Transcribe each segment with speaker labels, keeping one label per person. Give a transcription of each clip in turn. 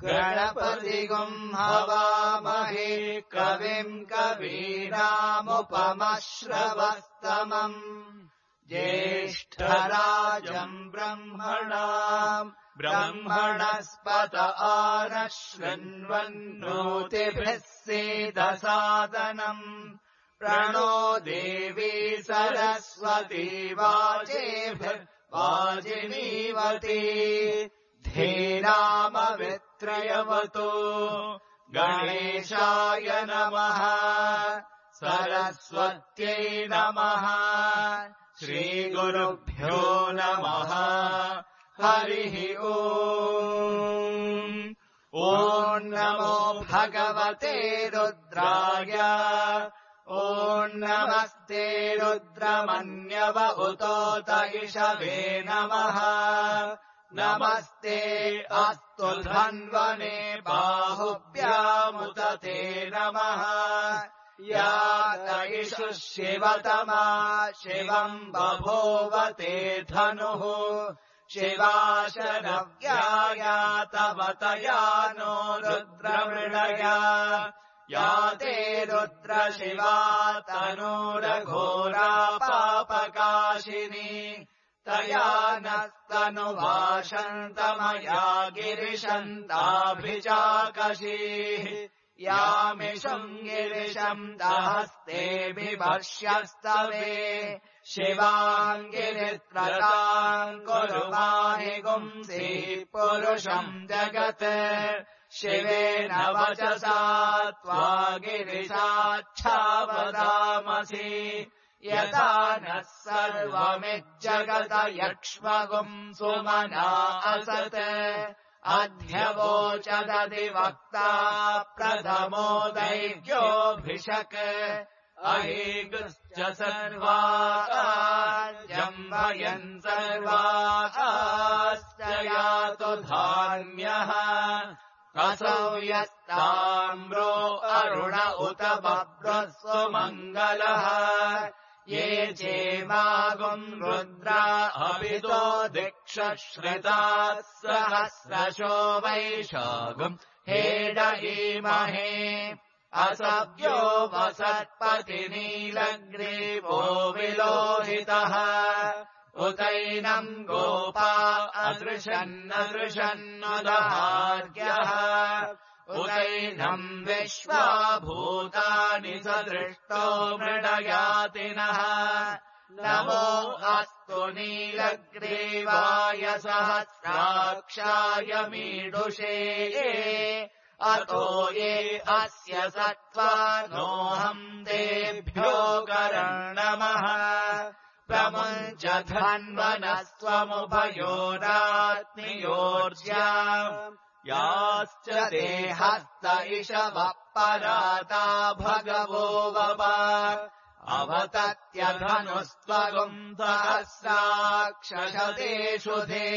Speaker 1: गणपतिगुम् हवामहे कविम् कवीनामुपमश्रवस्तमम् ज्येष्ठराजम् ब्रह्मणस्पत आनः शृण्वन्नोतिभिः सीदसादनम् प्रणो देवी सरस्वती वाजिनीवती धीरामवित्रयवतु गणेशाय नमः सरस्वत्यै नमः श्रीगुरुभ्यो नमः हरिः ॐ नमो भगवते रुद्राय ॐ नमस्ते रुद्रमन्यव उतोत इषवे नमः नमस्ते अस्तु धन्वने बाहुभ्यामुदते नमः या इषु शिवतमा शिवम् बभूवते धनुः शिवाशरव्याया तव तया नो रुद्रमृळया या ते रुद्रशिवा तनूरघोरा पापकाशिनी तया नस्तनुवाशन्तमया गिरिशन्ताभिचाकशीः यामिषम् गिरिशम् दहस्ते बिभर्ष्यस्तवे शिवाङ्गिरित्रताम् कुरु माहि गुंसि पुरुषम् जगत् शिवेन वचसा त्वा गिरिशाच्छावदामसि यथा नः सर्वमिज्जगत यक्ष्मगुम् सुमना असत् अध्यवोचदधिवक्ता प्रथमो दैव्योऽभिषक् अहीगुश्च सर्वाजम्भयन् सर्वाश्च यातु धान्यः असौ यस्ताम्रो अरुण उत बभ्रः सुमङ्गलः ये चेमागुम् रुद्रा अभितो दिक्षश्रिताः सहस्रशो वैशागुम् हेडयीमहे असव्यो वसत्पतिनीलग्रीवो विलोहितः उतैनम् गोपा अदृशन्नदृशन्नुदहार्यः उतैनम् विश्वा भूतानि सदृष्टो मृडयातिनः नमो अस्तु नीलग्रीवाय सहस्राक्षाय मीडुषे अतो ये अस्य सत्त्वानोऽहम् तेभ्यो कर्णमः प्रमुञ्च धन्वनस्त्वमुभयोरात्मियोर्ज्या याश्च देहस्त इषवः पराता भगवो वप अवतत्यधनुस्त्वगुम् सहस्राक्षशतेषु धे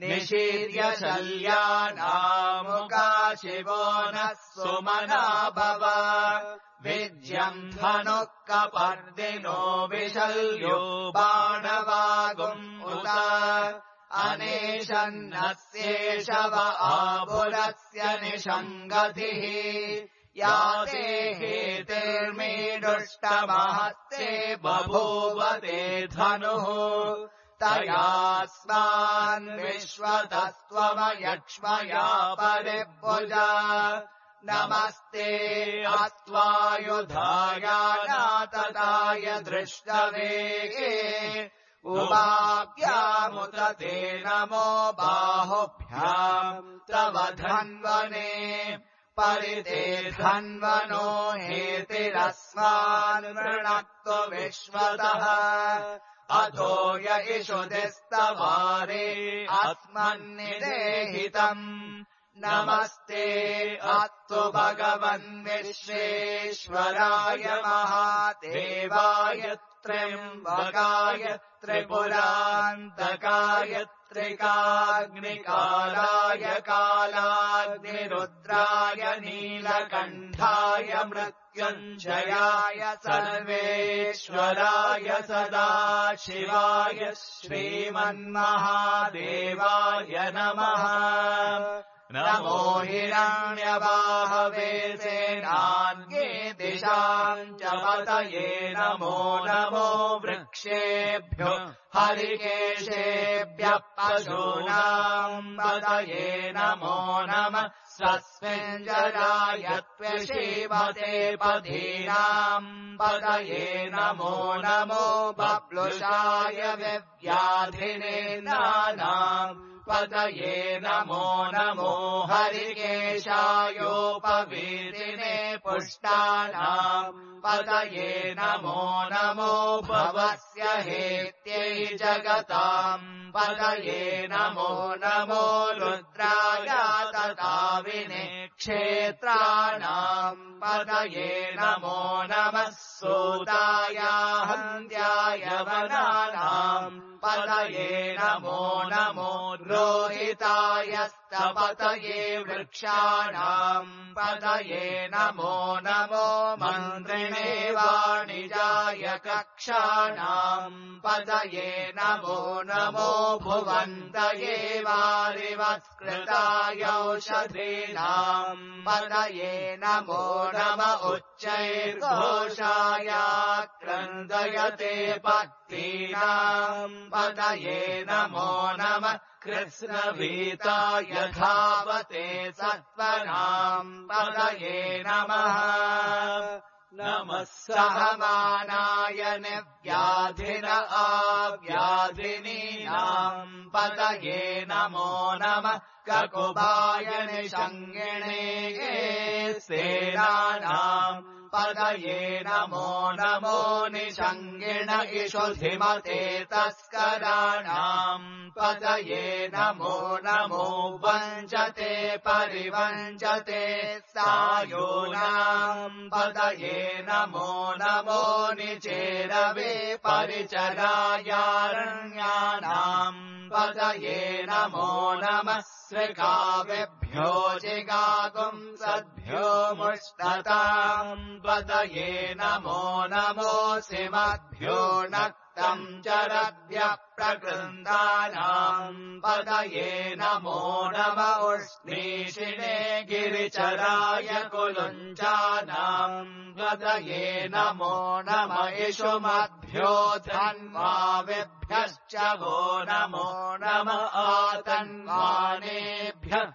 Speaker 1: निशीर्य शल्यानामुका शिवो नः सुमना भव विज्यम् धनुः कपर्दिनो विशल्यो बाणवागुम् उत अनेशन्नस्येषव आभुरस्य निषङ्गतिः या ते हेतिर्मीडुष्टमहस्ते बभूवते धनुः तयास्मान् विश्वतस्त्वमयक्ष्मया परिभुजा नमस्ते अस्त्वायुधायानातताय दृष्टवेगे उभाभ्यामुत ते नमो बाहुभ्याम् तव धन्वने परिते धन्वनो हेतिरस्मान् वृणक्तु विश्वतः अथो य इषुतिस्तवारे अस्मन्निदेहितम् नमस्ते अस्तु भगवन् विश्वेश्वराय महादेवाय त्र्यम्बकाय त्रिपुरान्तकाय त्रिकाग्निकालाय कालाग्निरुद्राय नीलकण्ठाय मृत्युञ्जयाय सर्वेश्वराय सदाशिवाय श्रीमन्महादेवाय नमः नमो हिरण्यबाहवे सेनान्ये दिशाम् च पतये नमो नमो वृक्षेभ्यो हरिकेशेभ्यः पशूनाम् पतये नमो नमः स्वस्मिञ्जराय त्वशीमते पदीनाम् पतये नमो नमो बप्लुषाय विव्याधिने नानाम् पतये नमो नमो हरिकेशायोपवीतिने पुष्टानाम् पतये नमो नमो भवस्य हेत्यै जगताम् पतये नमो नमो रुद्राय तदाविने क्षेत्राणाम् पतये नमो नमः सूताय हन्त्याय वनानाम् पतये नमो नमो रोहितायस्तपतये वृक्षाणाम् पतये नमो नमो मन्त्रिणे वाणिजाय कक्षाणाम् पतये नमो नमो भुवन्तये वारिवत्कृताय औषधीनाम् पतये नमो नम उच्चैर्घोषाय क्रन्दयते पत्नीनाम् पतये नमो नमः कृष्णवीताय धावते सत्त्वनाम् पतये नमः नमः सहमानाय निव्याधिन आव्याधिनीनाम् पतये नमो नमः ककुभाय निषङ्गिणे सेनानाम् पतये नमो नमो निषङ्गिण इषुधिमते तस्कराणाम् पतये नमो नमो वञ्चते परिवञ्चते सायूनाम् पतये नमो नमो निचेरवे परिचरायारण्यानाम् पतये नमो नमः श्रिकाविभ्यो जिगागुंसद्भ्यो मुष्टताम् पतये नमो नमो सिमद्भ्यो नक्तम् चरद्भ्यः प्रकृन्दानाम् पतये नमो नम उष्णीषिणे गिरिचराय कुलुञ्चानाम् पतये नमो नम इषुमद्भ्यो धन्वाविभ्यश्च वो नमो नम आतन्वानेभ्यः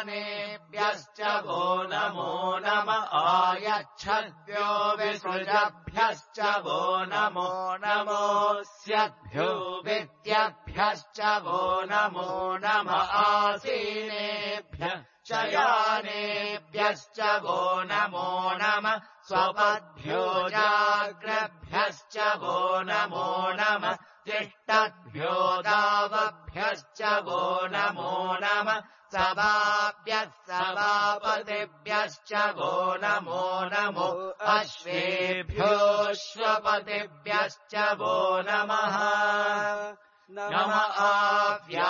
Speaker 1: प्रतिदधानेभ्यश्च वो नमो नम आयच्छद्भ्यो विसृजभ्यश्च वो नमो नमोऽस्यद्भ्यो विद्यभ्यश्च वो नमो नम आसीनेभ्यः शयानेभ्यश्च वो नमो नम स्वपद्भ्यो जाग्रभ्यश्च वो नमो नम तिष्ठद्भ्यो दावभ्यश्च वो नमो नम सभाभ्यः सभापतिभ्यश्च वो नमो नमो अश्वेभ्योऽश्वपतिभ्यश्च वो नमः नम आव्याधिनीभ्यो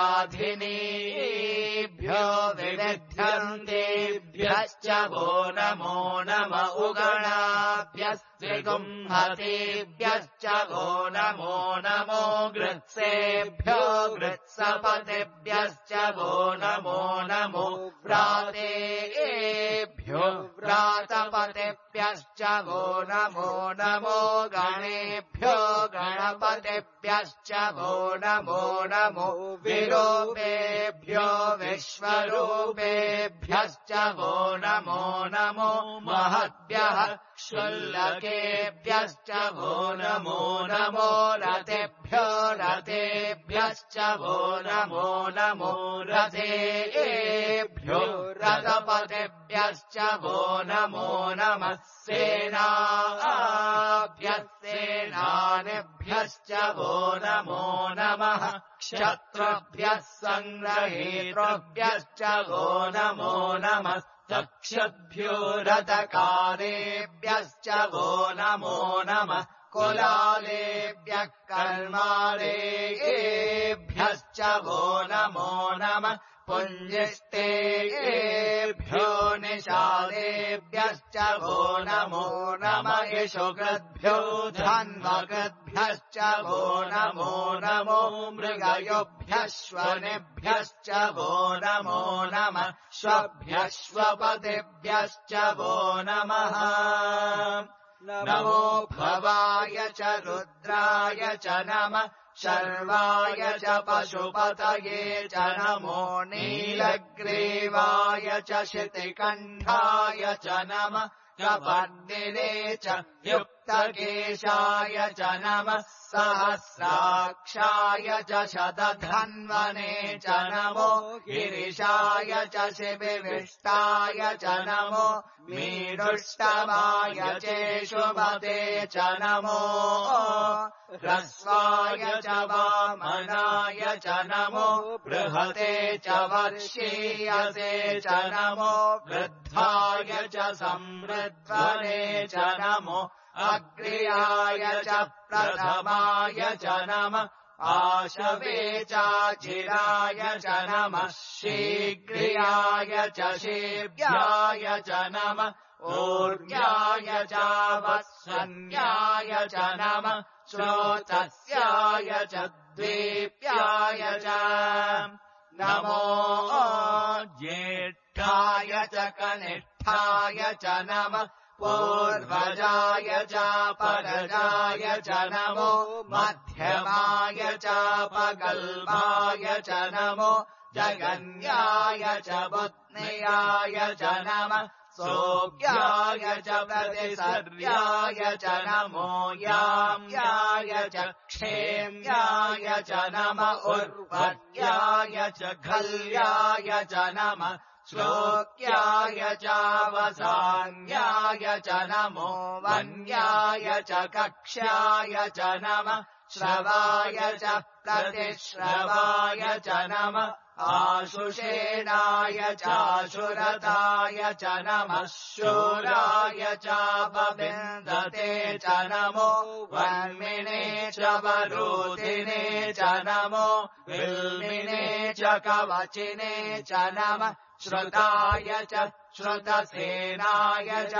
Speaker 1: विविध्यन्तेभ्यश्च वो नमो नम उगणाभ्यस्त्रिगुंहतेभ्यश्च वो नमो नमो गृत्सेभ्यो गृत्सपतिभ्यश्च वो नमो नमो व्रातेभ्यो व्रातपतिभ्यश्च वो नमो नमो गणेभ्यो गणपतिभ्यश्च वो नमो नमो विरूपेभ्यो विश्वरूपेभ्यश्च वो नमो नमो महद्भ्यः शुल्लकेभ्यश्च वो नमो नमो रथेभ्यो रथेभ्यश्च वो नमो नमो रथेभ्यो रथपतिभ्यश्च वो नमो नमः सेनाभ्यः सेनानिभ्यश्च वो नमो नमः क्षत्रभ्यः सङ्ग्रहेतृभ्यश्च वो नमो नमः तक्षद्भ्यो रथकारेभ्यश्च वो नमो नमः कुलालेभ्यः कर्मारेभ्यश्च वो नमो नमः पुञ्जिष्टेभ्यो निषादेभ्यश्च वो नमो नमः इषुकृद्भ्यो धन्वकृद्भ्यश्च वो नमो नमो मृगयोभ्यश्वनेभ्यश्च वो नमो नमः श्वभ्यश्वपतिभ्यश्च वो नमः नमो भवाय च रुद्राय च नमः शर्वाय च पशुपतये च नमो नीलग्रीवाय च शितिकण्ठाय च नमः कपर्दिने च युक्तकेशाय च नमः सहस्राक्षाय च शतधन्वने च नमो गिरिशाय च शिविविष्टाय च नमो मीडुष्टमाय चेषुमते च नमो ह्रस्वाय च वामनाय च नमो बृहते च वर्षीयसे च नमो वृद्धाय च संवृद्ध्वने च नमो अग्र्याय च प्रथमाय च नमः आशवे चाचिराय च नमः शीघ्र्याय च शीभ्याय च नमः ऊर्ध्याय च वत्सन्याय च नमः श्रोतस्याय च द्वीप्याय च नमो ज्येष्ठाय च कनिष्ठाय च नमः पूर्वजाय च परजाय च नमो मध्यमाय च पगल्भाय च नमो जगन्याय च बुध्नियाय च नमः सोऽप्याय च प्रतिसर्याय च नमो याम्याय च क्षेम्याय च नमः उर्वर्याय च घल्याय च नमः श्लोक्याय च वसान्याय च नमो वन्याय च कक्ष्याय च नमः श्रवाय च प्रतिश्रवाय च नमः आशुषेणाय चाशुरताय च नमः शूराय च पविन्दते च नमो वन्मिने च वरूधिने च नमो विल्मिने च कवचिने च नमः श्रुताय च श्रुतसेनाय च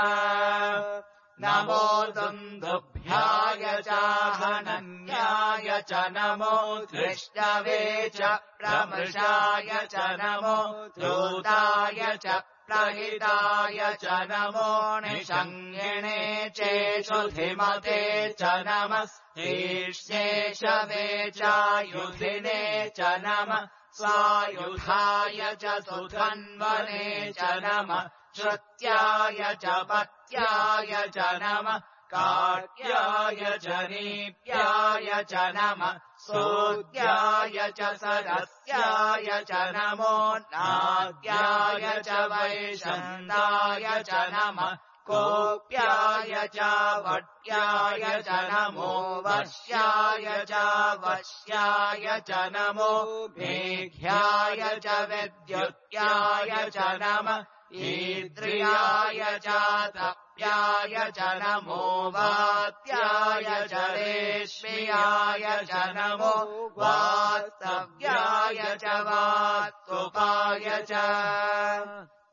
Speaker 1: नमो दुन्दुभ्याय च हनन्याय च नमो धृष्णवे च प्रमृषाय च नमो धूताय च प्रहिताय च नमो निषङ्गिणे चेषुधिमते च नमः तीक्ष्णेशवे च युधिने च नमः स्वायुधाय च सुधन्वने च नमः श्रुत्याय च पत्याय च नमः कार्त्याय च नीप्याय च नमः सोद्याय च सरस्याय च नमो नाद्याय च वैशन्दाय च नमः कोप्याय च वट्याय च नमो वश्याय च वश्याय च नमो मेघ्याय च विद्युत्याय च नमः ईद्रियाय च तप्याय च नमो वात्याय च रेश्म्याय च नमो वास्तव्याय च वास्तुपाय च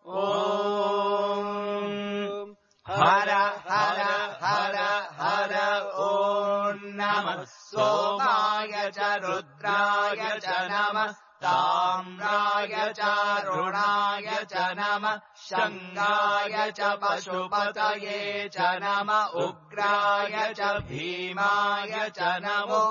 Speaker 1: ॐ हर हर हर हर ॐ नमः सोमाय च रुद्राय च नमः ताम्राय च रुणाय च नमः शङ्गाय च पशुपतये च नमः उग्राय च भीमाय च नमो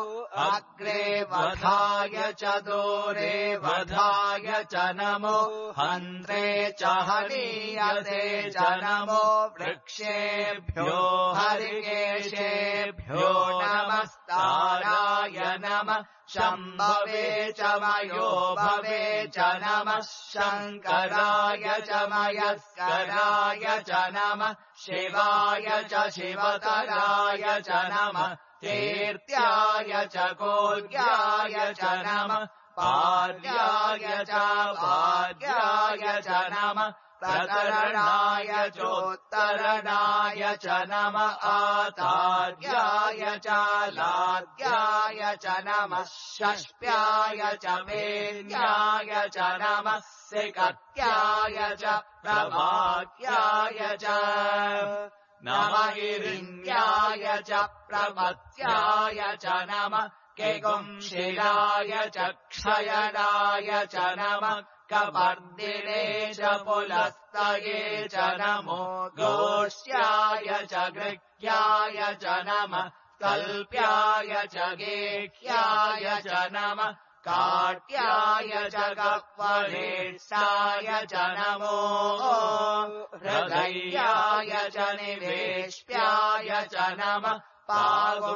Speaker 1: अग्रे वधाय च दूरे वधाय च नमो हन्त्रे च हनीयते च नमो वृक्षेभ्यो हरिकेशेभ्यो नमस्ताराय नमः शम्भवे च मयो भवे च नमः शङ्कराय च मयस्कराय च नमः शिवाय च शिवतराय च नमः कीर्त्याय च कोद्याय च नमः पार्याय च वार्याय च नमः प्रकरणाय चोत्तरणाय च नम आचार्याय च लार्याय च नमः षष्प्याय च वेद्याय च नमः सिकत्याय च प्रभाक्याय च नम हिरण्याय च प्रमत्याय च नमः केगुंशिलाय च क्षयनाय च नमः कपर्दिने च पुलस्तये च नमो गोष्याय च गृह्याय च नमः कल्प्याय च गेह्याय च नमः काट्याय च गह्वरेष्ठाय च नमो हृदयाय च निवेश्याय च नमः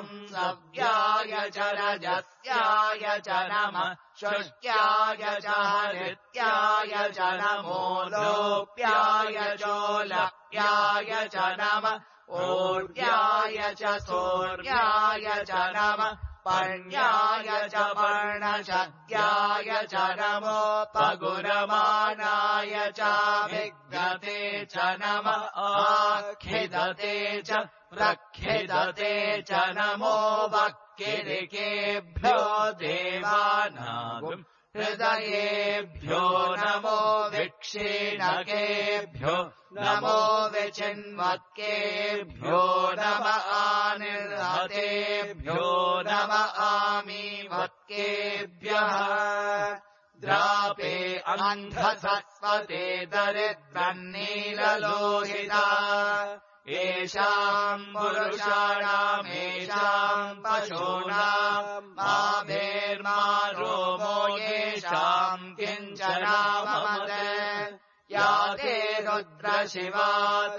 Speaker 1: पागुंसव्याय च रजस्याय च नमः शुष्क्याय च हरित्याय च नमो लोप्याय चोलप्याय च नमः ऊर्ध्याय च सूर्याय च नमः पर्ण्याय च पर्णशद्याय च नमो पगुरमाणाय च विद्यते च नमः आखिदते च प्रखिदते च नमो वक्किरिकेभ्यो देवानागुम् हृदयेभ्यो नमो विक्षीणकेभ्यो नमो विचिन्वत्केभ्यो नम आनिर्हतेभ्यो नम आमीवत्केभ्यः द्रापे अन्धसस्वते दरिद्रन्नीललोहिता येषाम् पुरुषाणामेषाम् पशूनाम् माभेर्मा रोमो येषाम् किञ्चनाममद या ते रुद्रशिवा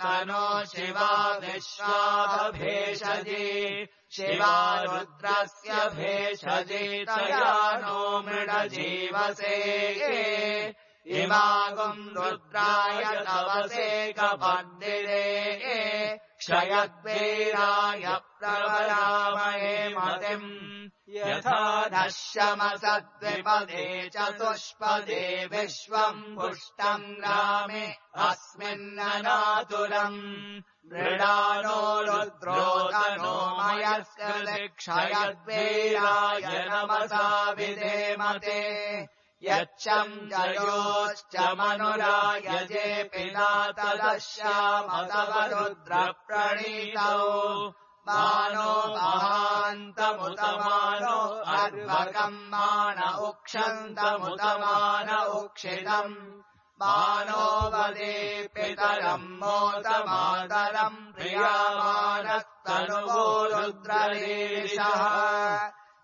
Speaker 1: तनो शिवा विश्वाभेषजे शिवा रुद्रस्य भेषजे तया नो मृडजीवसे इमागुम् रुद्राय तवसे कपद्दिरे क्षयद्वीराय प्रवरामहे मतिम् यथा नश्यमसद्विपदे चतुष्पदे विश्वम् पुष्टम् ग्रामे अस्मिन्ननातुरम् मृडानो रुद्रोदनो मयस्कृते क्षयद्वीराय नमसा विधेमते यच्छम् जयोश्च मनुरायजे पिता तदश्यामतव रुद्रप्रणीतौ मानो महान्तमुतमानो अर्वकम् मान उक्षन्तमुतमान उक्षितम् मानो वदे पितरम् मोदमातरम् प्रियामानस्तनुवो रुद्ररीरिषः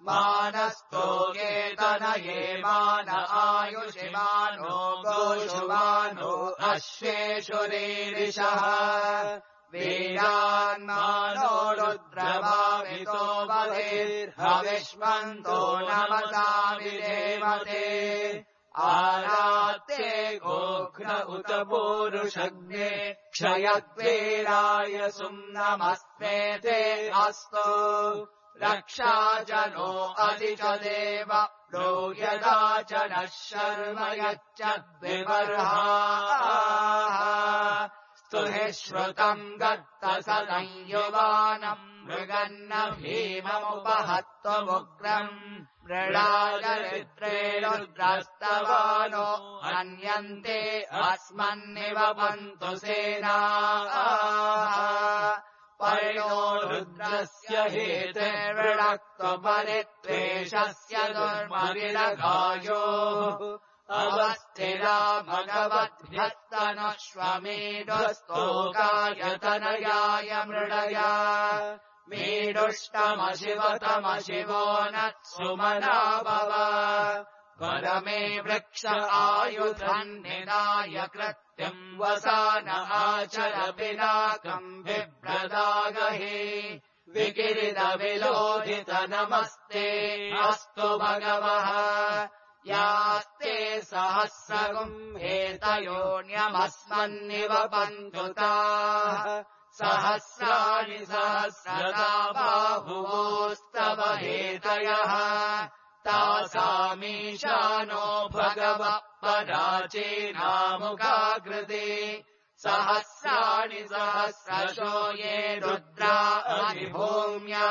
Speaker 1: मानस्तो केतनये मान आयुषि मानो गोषु मानो अश्वेषु रीरिषः वीरान्मानो रुद्रभावितो वधेर्हविष्मन्तो नमसा विधेमते आरात्ते गोघ्न उत पूरुषज्ञे क्षयद्वीराय सुम्नमस्मेते अस्तु रक्षा च नो अधि च देव नो यदा च नः शर्म यच्च द्विबर्हाः स्तुहि श्रुतम् गत्त सदंयुवानम् मृगन्न भीममुपहत्वमुग्रम् मृडाचरित्रे रुद्रस्तवानो हन्यन्ते अस्मन्निवपन्तु सेनाः परिणो रुद्रस्य हेतेर्वृणक्त्वपरित्वेषस्य दुर्मविरगायोः अवस्थिरा भगवद्भ्यस्तनश्वमेधस्तोकायतनयाय मृडया मेढुष्टमशिवतमशिवो नत्सुमना भव परमे वृक्ष आयुधम् निनाय कृत्यम् वसान आचर पिनाकम् बिभ्रदागहे विकिरितविलोहित नमस्ते अस्तु भगवः यास्ते सहस्रगुम् हेतयोऽन्यमस्मन्निवपन्तु ताः सहस्राणि सहस्रदा बाहुवोस्तव हेतयः तासामीशानो भगवः पराचीनामुखाकृति सहस्राणि सहस्रशो ये रुद्रा अधिभूम्या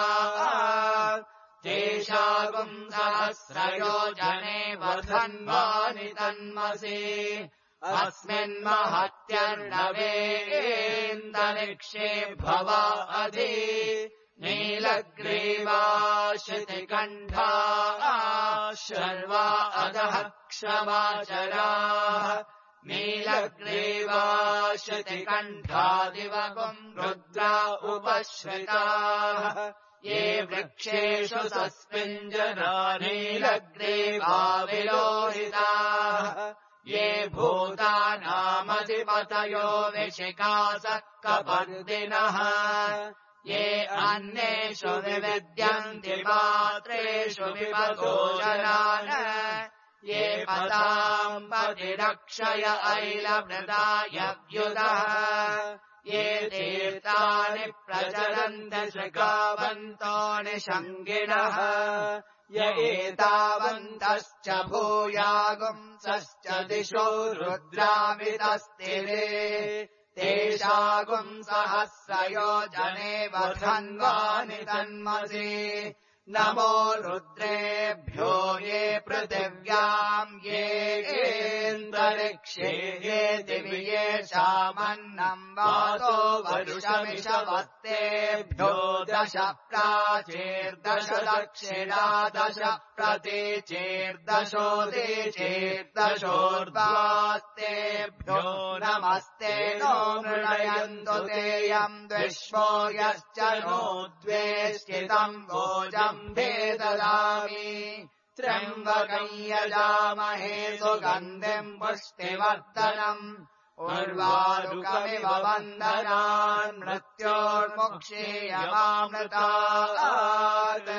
Speaker 1: तेषागुम् सहस्रयोजने वधन्वानि तन्मसि अस्मिन्महत्यर्णवेन्दरिक्षे भवा अधि नीलग्रीवा श्रुतिकण्ठा शर्वा अधः क्षमाचराः नीलग्रीवा श्रुतिकण्ठादिवगुम् रुद्रा उपश्रिताः ये वृक्षेषु सस्मिञ्जना नीलग्रीवा विलोहिताः ये भूतानामधिपतयो विशिखासः कपर्दिनः ये अन्येषु विविद्यन्ति पात्रेषु विपतो जनान् ये पताम् पतिरक्षय ऐलवृदायव्युदः ये तीर्थानि प्रचरन्ति शृगावन्तो निषङ्गिणः य एतावन्तश्च भूयागुंसश्च दिशो रुद्रावितस्तिरे तेषागुम् सहस्रयोजने वधन्वानि तन्मसि नमो रुद्रेभ्यो ये पृथिव्याम् येऽन्तरिक्षे ये दिवि येषामन्नम् वातो वरुषमिषवत्तेभ्यो 10 प्राचीर्दश दक्षिणा 10 प्रतीचीर्दशोदीचीर्दशोर्ध्वास्तेभ्यो नमस्ते नो मृणयन्तु तेऽयम् विश्वो यश्च नो द्वेष्टितम् भोजम् भेददामि त्र्यम्बकम् यजामहे सुगन्धिम् पुष्टिवर्धनम् उर्वारुकमिव वन्दनान् मृत्योर्मुक्षीयमामृतात्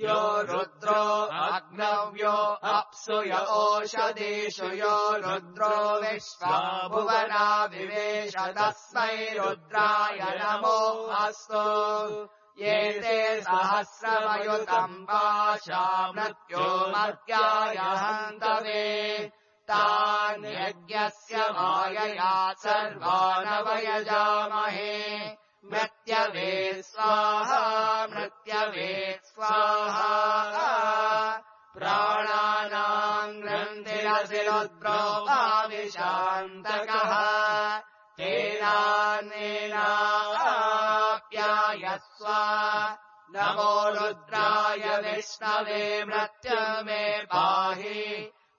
Speaker 1: यो रुद्रो अग्नव्यो अप्सु य ओषधीषु यो रुद्रो विश्वा भुवना विवेश तस्मै रुद्राय नमो अस्तु ये ते सहस्रमयुतम् पाशा मृत्यो मर्त्याय हन्तवे तान् यज्ञस्य मायया सर्वानवयजामहे मृत्यवे स्वाहा मृत्यवे स्वाहा प्राणानाम् ग्रन्थिरसि रुद्रो आविशान्तकः तेनाप्यायस्व नमो रुद्राय विष्णवे मृत्युमे पाहि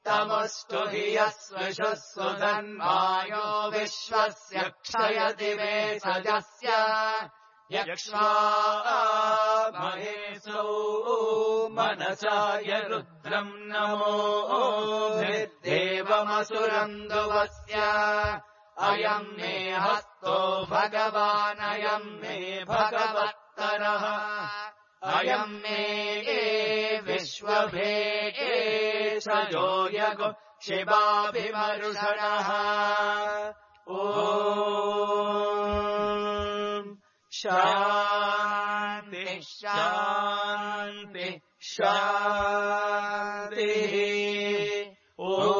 Speaker 1: तमुष्टु हि यस्वशुस्व धन्वायो विश्वस्य क्षयति मे सजस्य यक्ष्वा महेशौ मनसाय रुद्रम् नमो देवमसुरन्दुवस्य अयम् मे हस्तो भगवानयम् मे भगवत्तरः अयम् मे विश्वभेषजो यगो शिवाभिमरुषणः ॐ शान्ति शान्ति शान्तिः ॐ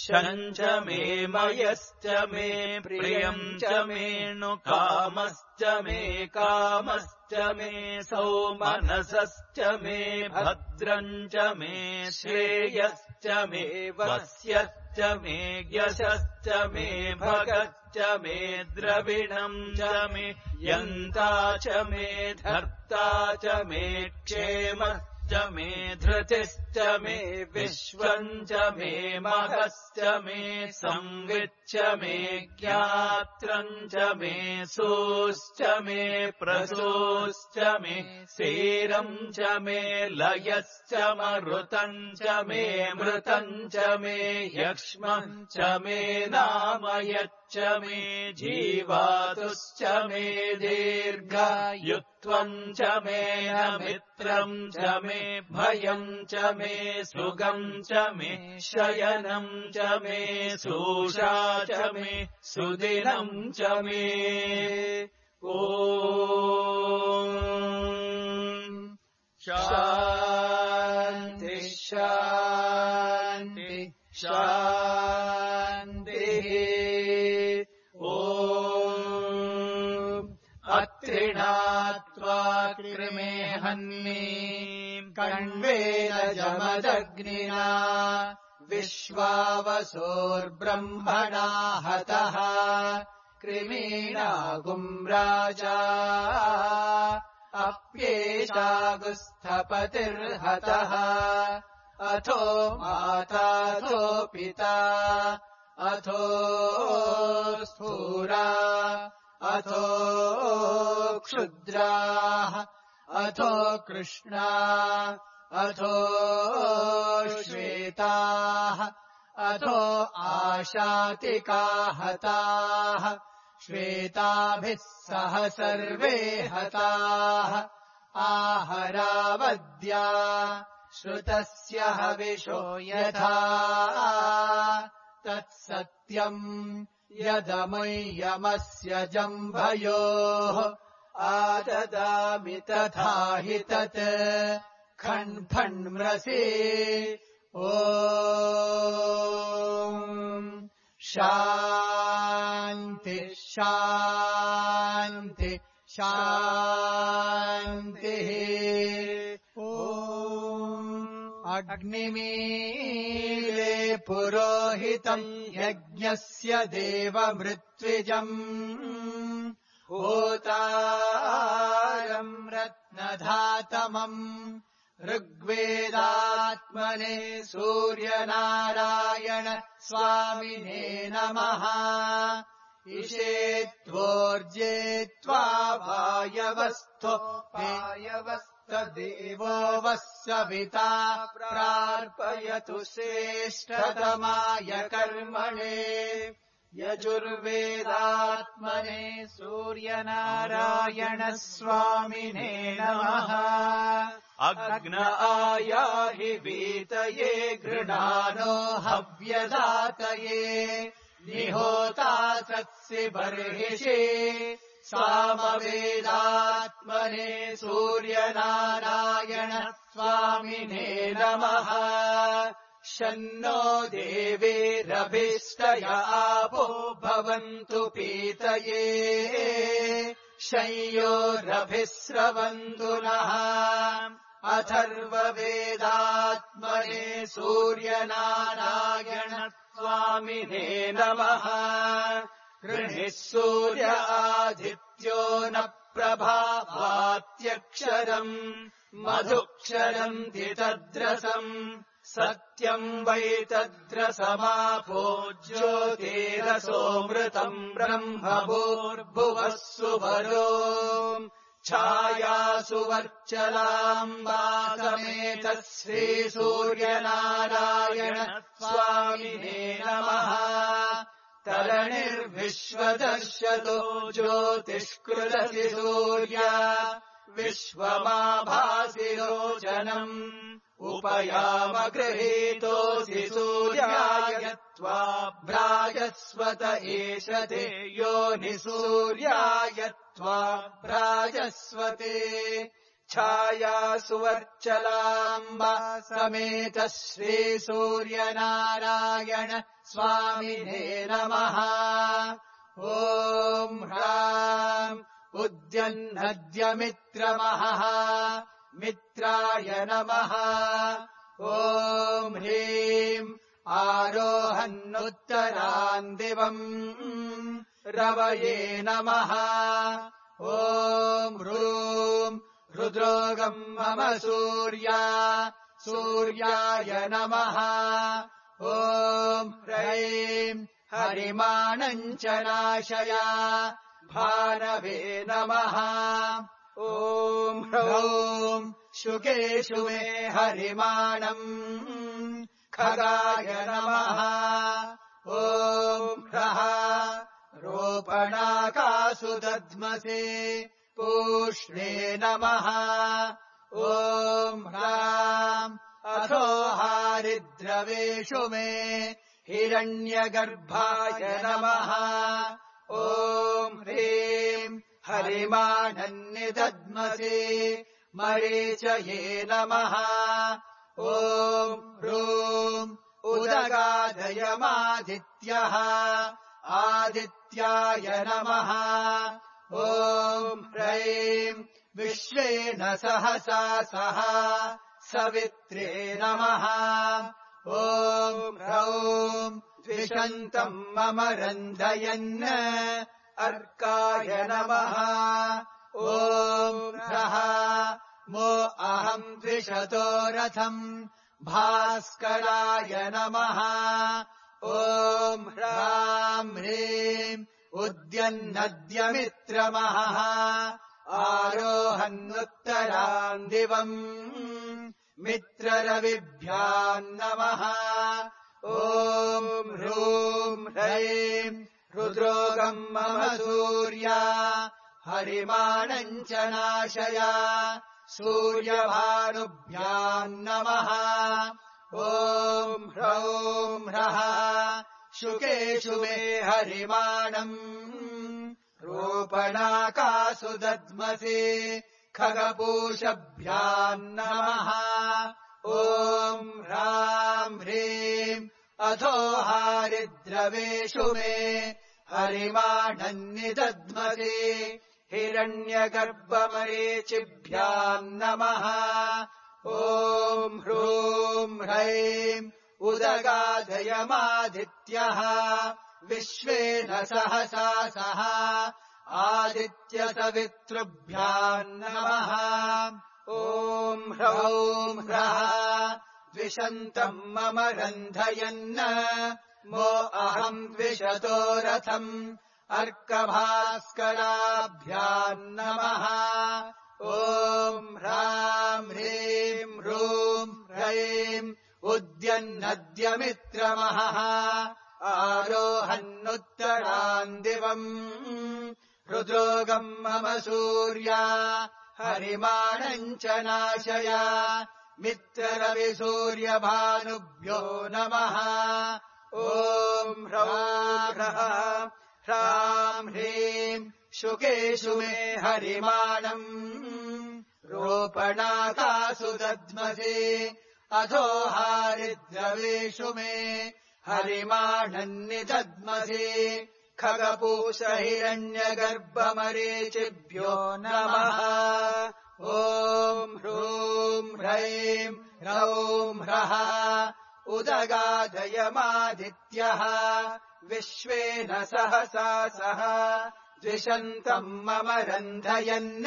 Speaker 1: शञ्च मे मयश्च मे प्रियम् च मे नु कामश्च मे कामश्च मे सौमनसश्च मे भद्रम् च मे श्रेयश्च मे वस्यश्च मे यशश्च मे भगश्च मे द्रविणम् च मे यन्ता च मे धर्ता च मे क्षेमश्च मे धृतिश्च मे विश्वम् च मे महश्च मे संविच्च मे ज्ञात्रम् च मे सोश्च मे प्रसोश्च मे सेरम् च मे लयश्च मरुतम् च मे मृतम् च मे यक्ष्मम् च मे नामयच्च मे जीवातुश्च मे दीर्घायुत्वम् च मे मित्रम् च मे भयम् च मे सुगम् च मे शयनम् च मे सूषा च मे सुदिनम् च मे ॐ शान्ति शान्ति शान्तिः। ॐ अत्रिणात्वा कृमे हन्मीम् कण्वेन जमदग्निना विश्वावसोर्ब्रह्मणा हतः कृमीणागुम् राजा अप्येषागुस्थपतिर्हतः अथो माताथो पिता अथो स्थूरा अथो क्षुद्राः अथो कृष्णा अथो श्वेताः अथो आशातिका हताः श्वेताभिः सह सर्वे हताः आहरावद्या श्रुतस्य हविषो यथा तत्सत्यम् यदमुय्यमस्य जम्भयोः आददामि तथा हि तत् खण्फण्म्रसि ॐ शान्ति शान्ति शान्तिः। ॐ अग्निमीले पुरोहितम् यज्ञस्य देवमृत्विजम् होतारम् रत्नधातमम् ऋग्वेदात्मने सूर्यनारायण स्वामिने नमः। इषेत्वोर्जेत्वा वायवस्थो वायवस्तदेवो वः सविता प्रार्पयतु श्रेष्ठतमाय कर्मणे यजुर्वेदात्मने सूर्यनारायण स्वामिने नमः। अग्न आयाहि वीतये गृणानो हव्यदातये निहोता सत्सि बर्हिषि सामवेदात्मने सूर्यनारायण स्वामिने नमः। शन्नो देवीरभिष्टय आपो भवन्तु पीतये शय्योरभिस्रवन्तु नः। अथर्ववेदात्मने सूर्यनारायण स्वामिने नमः। गृणिः सूर्य आदित्यो न प्रभावात्यक्षरम् मधुक्षरम् तद्रसम् सत्यम् वै तद्रसमापो ज्योतिरसोऽमृतम् ब्रह्मभूर्भुवः सुवरो छायासु वर्चलाम्बा समेतः श्रीसूर्यनारायण स्वामिने नमः। तरणिर्विश्वदर्शतो ज्योतिष्कृदसि सूर्य विश्वमाभासि लोचनम् उपयाम गृहीतोऽसि सूर्याय त्वा भ्राजस्वत एषते योनिसूर्याय त्वा भ्राजस्वते। छायासु वर्चलाम्बा समेतः श्रीसूर्यनारायण स्वामिने नमः। ॐ ह्राम् उद्यन्नद्यमित्रमहः मित्राय नमः। ॐ ह्रीम् आरोहन्नुत्तरान् दिवम् रवये नमः। ॐ ह्रूम् रुद्रोगम् मम सूर्या सूर्याय नमः। ॐ ह्रैम् हरिमाणम् च नाशया भानवे नमः। ॐ ह्रौम् शुकेषु मे हरिमाणम् खगाय नमः। ॐ ह्रः रोपणाकासु दध्मसे पूष्णे नमः। ॐ ह्राम् अथो हारिद्रवेषु मे हिरण्यगर्भाय नमः। ॐ ह्रीम् हरिमाणन्निदध्मसे मरीचये नमः।
Speaker 2: ॐ ह्रूं उदगादयमादित्यः आदित्याय नमः ॐ ह्रैं विश्वेन सहसा सह सवित्रे नमः ॐ ह्रौं द्विषन्तम् मम रन्धयन् अर्काय नमः ॐ ह्रः मो अहम् द्विषतो रथम् भास्कराय नमः ॐ ह्रां ह्रीं उद्यन्नद्यमित्रमहः आरोहन्नुत्तराम् दिवम् मित्ररविभ्याम् नमः ॐ ह्रूं ह्रैं रुद्रोगम् मम सूर्या हरिमाणम् च नाशय सूर्यभानुभ्याम् नमः ॐ ह्रौं ह्रः शुकेषु मे हरिमाणम् रोपणाकासु दद्मसि खगपूषभ्याम् नमः ॐ ह्रां ह्रीं अथो हारिद्रवेषु मे हरिमाणम् निदध्मसि हिरण्यगर्भमरीचिभ्याम् नमः ॐ ह्रूं ह्रैं उदगादयमादित्यः विश्वेन सहसा सह आदित्यसवितृभ्याम् नमः ॐ ह्रौं ह्रः द्विषन्तम् मम रन्धयन् मो अहम् द्विषतो रथम् अर्कभास्कराभ्याम् नमः ॐ ह्रां ह्रीं ह्रूं ह्रैं उद्यन्नद्यमित्रमहः आरोहन्नुत्तराम् दिवम् रुद्रोगम् मम सूर्या हरिमाणम् च नाशय मित्ररविसूर्यभानुभ्यो नमः ॐ ह्रः ह्रां ह्रीं शुकेषु मे हरिमाणम् रोपणाकासु दद्मसि अथो हारिद्रवेषु मे हरिमाणम् निदद्मसि खगपूषहिरण्यगर्भमरीचिभ्यो नमः ॐ ह्रूं ह्रैं ह्रौं ह्रः उदगादयमादित्यः विश्वेन सहसा सह द्विषन्तम् मम रन्धयन्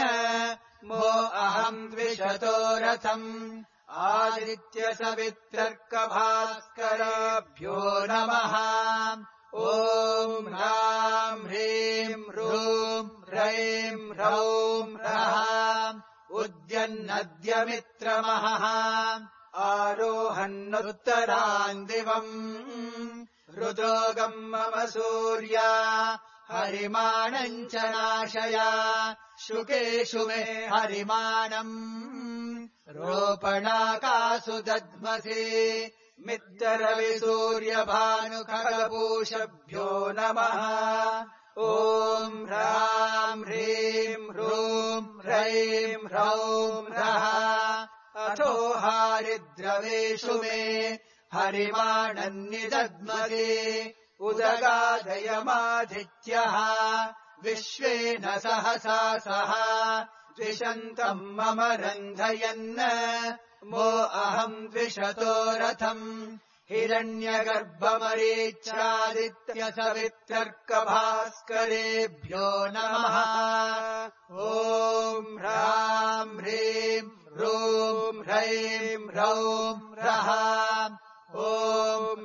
Speaker 2: मो अहम् द्विषतो रथम् आदित्यसवित्रर्कभास्कराभ्यो नमः ॐ ह्रां ह्रीं ह्रूं ह्रैं ह्रौं ह्रः उद्यन्नद्यमित्रमहः आरोहन्नुत्तराम् दिवम् रुद्रोगम् मम सूर्या हरिमाणम् च नाशय शुकेषु मे हरिमाणम् रोपणाकासु दद्मसि मित्ररविसूर्यभानुखगपूषभ्यो नमः ॐ ह्रां ह्रीं ह्रूं ह्रैं ह्रौं ह्रः अथो हारिद्रवेषु मे हरिमाणम् निदद्मसि उदगादयमादित्यः विश्वेन सहसा सह द्विषन्तम् मम रन्धयन् मो अहम् द्विषतो रथम् हिरण्यगर्भमरीच्यादित्यसवित्रर्कभास्करेभ्यो नमः ॐ ह्रां ह्रीं ह्रूं ह्रैं ह्रौं ह्रः ॐ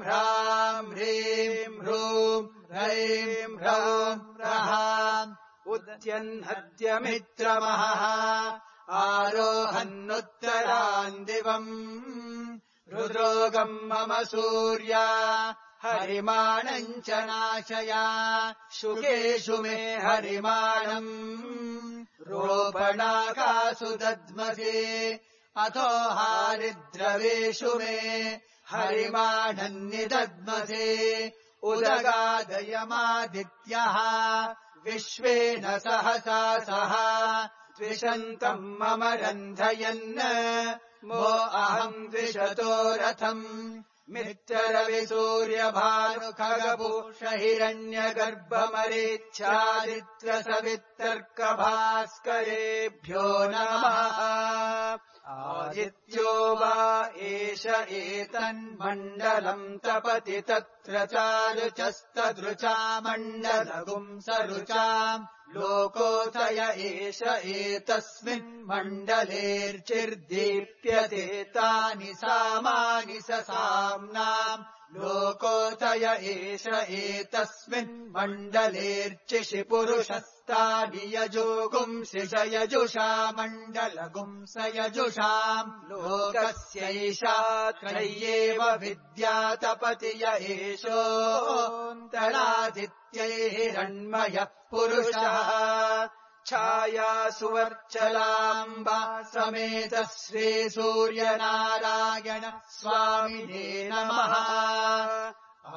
Speaker 2: ह्रां ह्रीं ह्रूं ह्रैं ह्रौं ह्रः उद्यन्नद्यमित्रमहः आरोहन्नुत्तराम् दिवम् रुद्रोगम् मम सूर्या हरिमाणम् च नाशय शुकेषु मे हरिमाणम् रोपणाकासु दद्मसि अथो हारिद्रवेषु मे हरिमाणम् निदद्मसि उदगादयमादित्यः विश्वेन सहसा सह त्विषन्तम् मम रन्धयन् मो अहम् द्विषतो रथम् मित्ररविसूर्यभानुखगपूष हिरण्यगर्भमरीच्यादित्यसवितर्कभास्करेभ्यो नमः आदित्यो वा एष एतन्मण्डलम् तपति तत्र चारुचस्तदृचा मण्डलगुम् सरुचाम् लोकोदय एष एतस्मिन्मण्डलेर्चिर्दीप्यते तानि सामानि साम्नाम् लोकोदय एष एतस्मिन्मण्डलेर्चिषि पुरुषस्तानि यजोगुंसि स यजुषा मण्डलगुंस यजुषाम् लोकस्यैषा त्रय्येव विद्या तपति य एषोऽन्तरादित्यैरण्मयः पुरुषः छायासुवर्चलाम्बा समेत श्रीसूर्यनारायण स्वामिने नमः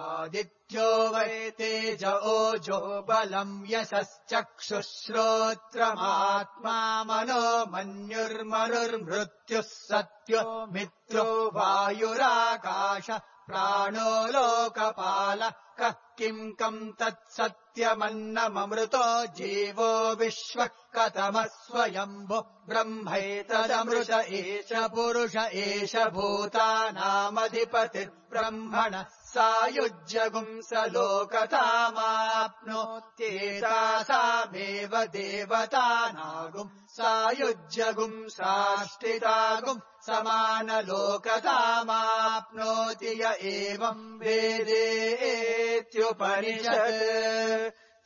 Speaker 2: आदित्यो वै तेज ओजो बलम् यशश्चक्षुश्रोत्रमात्मा मनो मन्युर्मनुर्मृत्युः सत्यो मित्रो वायुराकाश प्राणो लोकपालः कः किम् कम् तत्सत्यमन्नममृतो जीवो विश्वः कथमः स्वयम्भो ब्रह्मैतदमृत एष पुरुष एष भूतानामधिपतिर्ब्रह्मणः सायुज्यगुंस लोकतामाप्नोत्येतासामेव देवतानागुम् सायुज्यगुंसाष्टितागुम् समानलोकतामाप्नोति य एवम् वेदेत्युपनिषत्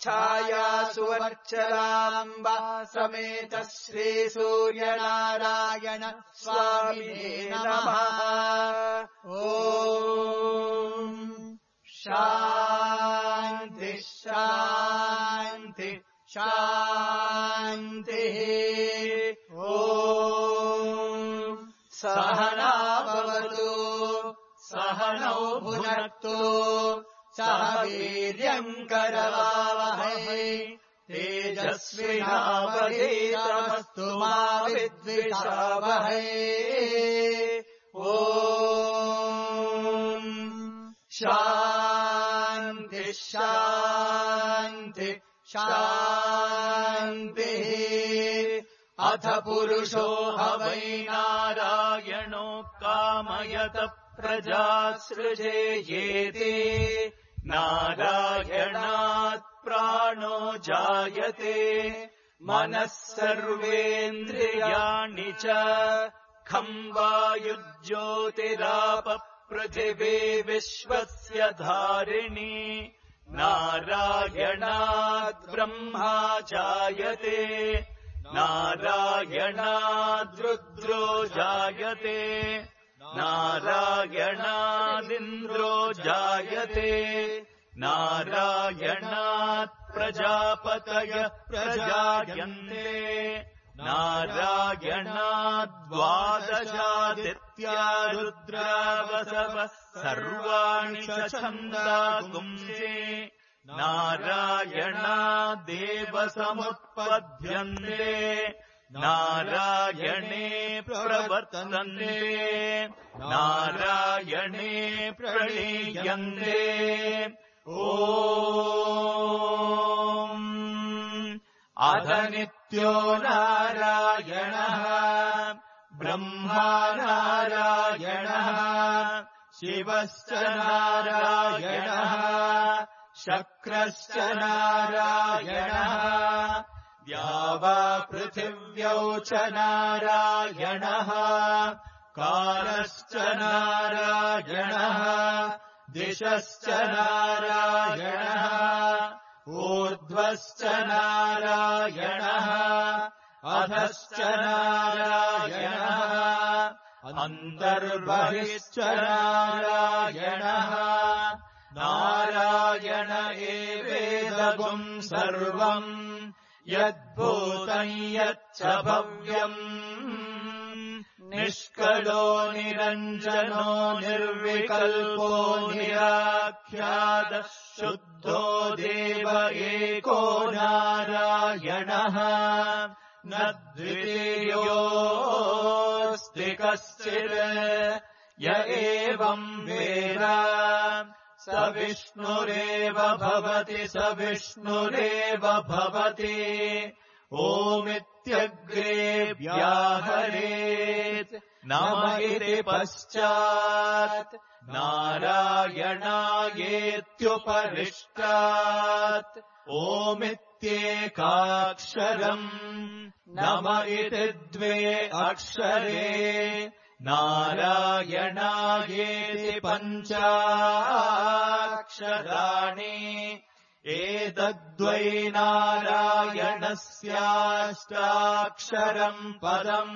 Speaker 2: छायासुवर्चलाम्बा समेत श्रीसूर्यनारायण स्वामिने नमः ॐ शान्ति शान्ति शान्तिः ॐ सहना भवतु सहनौ भुनक्तु सह वीर्यम् करवावहै तेजस्विनावधीतमस्तु मा विद्विषावहै ॐ शान्ति शान्ति शान्तिः अथ पुरुषो ह वै
Speaker 1: नारायणो कामयत प्रजासृजेयेति नारायणात् प्राणो जायते मनः सर्वेन्द्रियाणि च खम् वायुज्योतिराप पृथिवी विश्वस्य धारिणी नारायणात् ब्रह्मा जायते नारायणाद्रुद्रो जायते नारायणादिन्द्रो जायते नारायणात् प्रजापतय प्रजायन्ते नारायणाद्वादशादित्या रुद्रावसव सर्वाणि च छन्दागुंसे नारायणादेव समुत्पद्यन्ते नारायणे प्रवर्तन्ते नारायणे प्रलीयन्ते ॐ अध नित्यो नारायणः ब्रह्मा नारायणः शिवश्च नारायणः शक्रश्च नारायणः द्यावा पृथिव्यौ च नारायणः कालश्च नारायणः दिशश्च नारायणः ऊर्ध्वश्च नारायणः अधश्च नारायणः अन्तर्बहिश्च नारायणः नारायण एवेदगुम् सर्वम् यद्भूतम् यच्च भव्यम् निष्कलो निरञ्जनो निर्विकल्पो निराख्यातः शुद्धो देव एको नारायणः न द्वितीयोऽस्ति कश्चित् य एवम् वेद स विष्णुरेव भवति स विष्णुरेव भवति ओमित्यग्रे व्याहरेत् नम इति पश्चात् नारायणायेत्युपरिष्टात् ओमित्येकाक्षरम् नम इति द्वे अक्षरे नारायणायेति पञ्चाक्षराणि एतद्वै नारायणस्याष्टाक्षरम् पदम्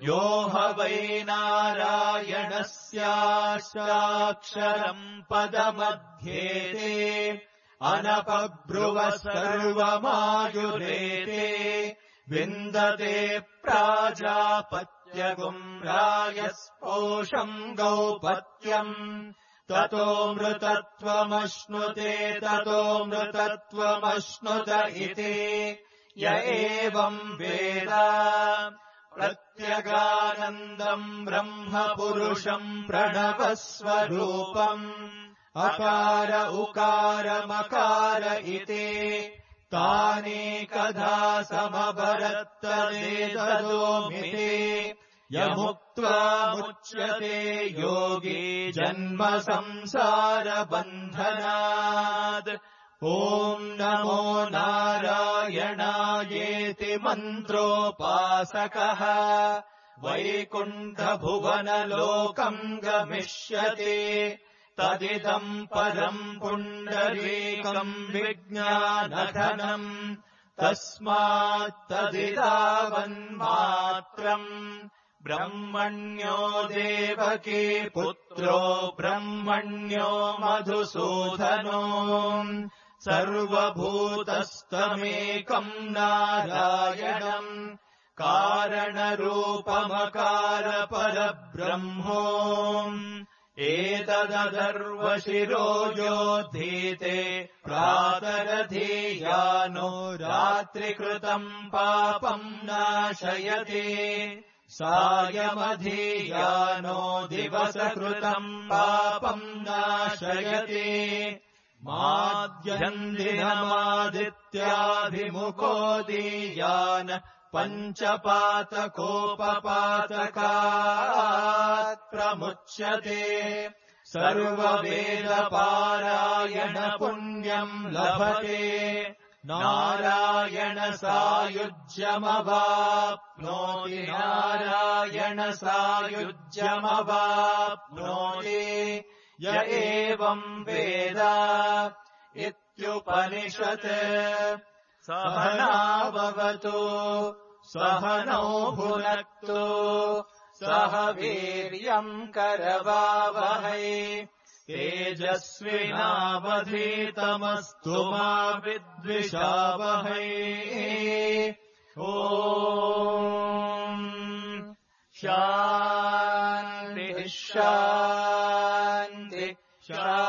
Speaker 1: यो ह वै नारायणस्याष्टाक्षरम् पदमध्येते अनपब्रुव सर्वमायुरेते विन्दते प्राजापत्यगुम् रायस्पोषम् गौपत्यम् ततोऽमृतत्वमश्नुते ततोऽमृतत्वमश्नुत इति य एवम् वेद प्रत्यगानन्दम् ब्रह्म पुरुषम् प्रणवस्वरूपम् अकार उकार मकार इति तानेकधा समभरत्तदेतदोमिति यमुक्त्वा मुच्यते योगी जन्म संसारबन्धनात् ॐ नमो नारायणायेति मन्त्रोपासकः वैकुण्ठभुवनलोकम् गमिष्यति तदिदम् परम् पुण्डरीकम् विज्ञानघनम् तस्मात्तदिदावन्मात्रम् ब्रह्मण्यो देवकी पुत्रो ब्रह्मण्यो मधुसूदनो सर्वभूतस्तमेकम् नारायणम् कारणरूपमकारपरब्रह्मो एतदधर्वशिरो योद्धीते प्रातरधीयानो रात्रिकृतम् पापम् नाशयति सायमधीयानो दिवसकृतम् पापम् नाशयति माध्यन्दिनमादित्याभिमुखोदीयान् पञ्चपातकोपपातकात् प्रमुच्यते सर्ववेदपारायणपुण्यम् लभते नारायणसायुज्यमवाप्नोति नारायणसायुज्यमवाप्नोति य एवम् वेद इत्युपनिषत् सहनाववतु सहनौ भुनक्तु सह वीर्यम् करवावहै तेजस्विनावधीतमस्तु मा विद्विषावहै ॐ शान्तिः शान्तिः शान्तिः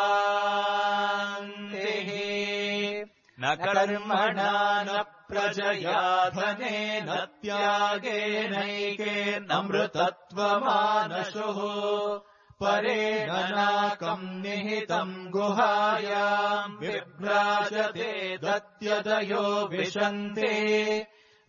Speaker 1: न कर्मणा न प्रजया धनेन त्यागेनैकेनमृतत्वमानशुः परेण नाकम् निहितम् गुहायाम् विभ्राजते दत्यदयो विशन्ते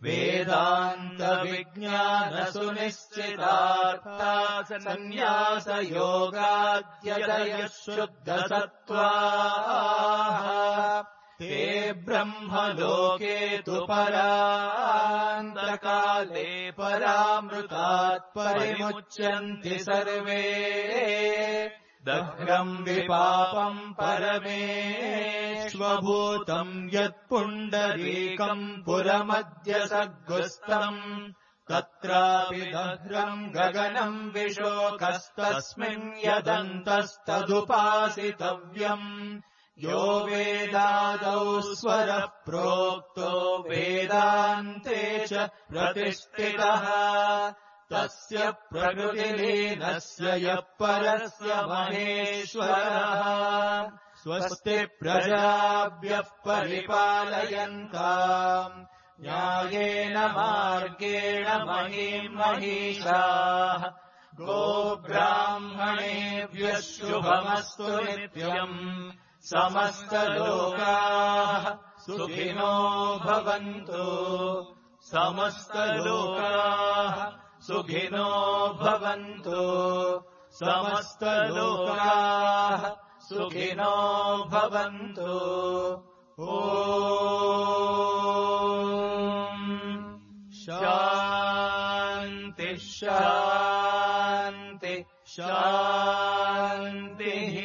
Speaker 1: वेदान्तविज्ञानसुनिश्चितार्था सन्न्यासयोगाद्यतयः शुद्धसत्त्वाः ते ब्रह्मलोके तु परान्तकाले परामृतात् परिमुच्यन्ति सर्वे दग्धम् विपापम् परमेष्वभूतम् यत्पुण्डरीकम् पुरमद्य सद्गुस्तम् तत्रापि दह्रम् गगनम् विशोकस्तस्मिन् यदन्तस्तदुपासितव्यम् यो वेदादौ स्वरः प्रोक्तो वेदान्ते च प्रतिष्ठितः तस्य प्रकृतिलीनस्य यः परस्य महेश्वरः स्वस्ति प्रजाभ्यः परिपालयन्ताम् न्यायेन मार्गेण महीम् महिषाः गोब्राह्मणेभ्यः शुभमस्तु नित्यम् समस्तलोकाः सुखिनो भवन्तु समस्तलोकाः सुखिनो भवन्तु समस्तलोकाः सुखिनो भवन्तु ॐ शान्ति शान्ति शान्तिः